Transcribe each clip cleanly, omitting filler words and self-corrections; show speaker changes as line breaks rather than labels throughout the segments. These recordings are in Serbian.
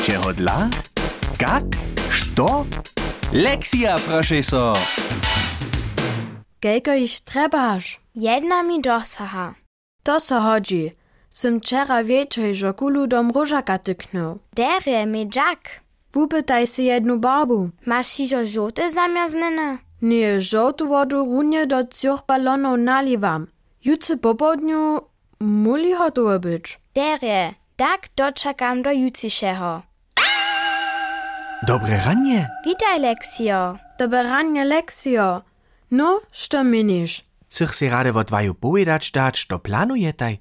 Čehodla? Kak? Što? Lekcja, proszę so.
Kejko iż trebaš?
Jedna mi dosaha.
To so hodzi. Sym wczera wieczej, że kulu do mrożaka tyknął.
Derje mi Jack.
Wupytaj si jednu barbu.
Masz hižo žote zamjaznene?
Nie, żołtu wodu runie do 3 balonów naliwam. Jutře po południu muli hotowe być.
Derje, tak doczekam do jutrzejszego.
Dobre ranie.
Witaj, Leksio.
Dobre ranie, Leksio. No, što minisz?
Chcesz si rade od waju powiedzieć dać, što planujetaj?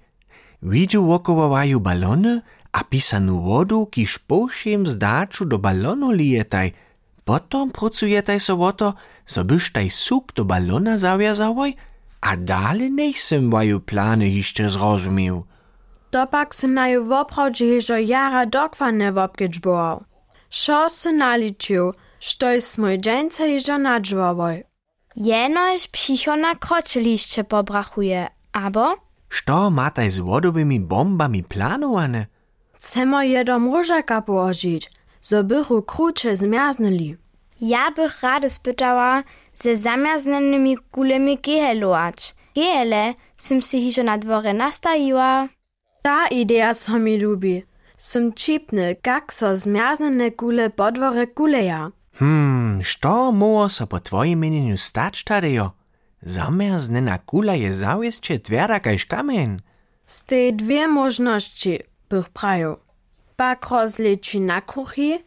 Widziu wokoło waju balony, a pisanu wodu, kiż pošiem zdaču do balonu lijetaj. Potom pracujetaj so o to, so byś taj suk do balona zawiązałoj, a dale nech sem waju plany jeszcze zrozumiał.
To pak se naju woprawdźe hižo jara dokładnie wopkedźbował. Šo se naliczył, štož smoj dżęce hižo nadżwowoj.
Jenož přicho na kročelišće pobrachuje, abo?
Što mataj z wodowymi bombami planowane?
Chcemo je do mrożaka położyć, zo bychu krucze zmiaznęli.
Ja bych rady spytała ze zamjaznanymi kulemi gehelować. Gehele sym si hižo na dworze nastajiła.
Ta idea so mi lubi. Sym čipny, kak so zmiaznene kule po dworze kuleja.
Što moło so po twoim mieniu stać tadejo? Zamrznena kula je zawieszcze twarda kaž kamen.
Z tej 2 możności bych praju. Pak rozleči na kruchi,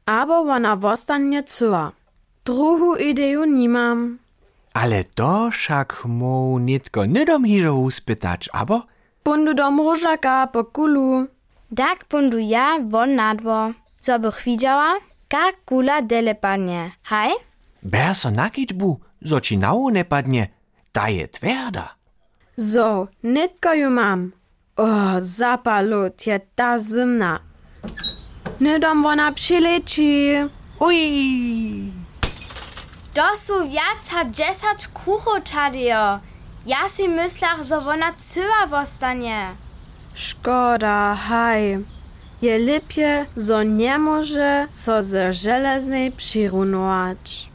abo ona wostanie cyła. Druhu ideju nimam.
Ale to však mu nitko nidom hižo uspytać, abo?
Bundu do mrożaka po kulu.
Tak bundu ja won na dwor. So bych widziała, kak kula dele padnie. Haj?
Ber so nakičbu, zo ci nało ne padnie. Ta je twarda.
So, nitko ju mam. Zapalut je ta zimna. Nidom wona přileci.
Ui!
To su viac ha 10 kruchov tadejo. Ja si myslach, zo wona cyła wostanie.
Szkoda, haj. Je lipje, zo nie może so ze żeleznej přirunować.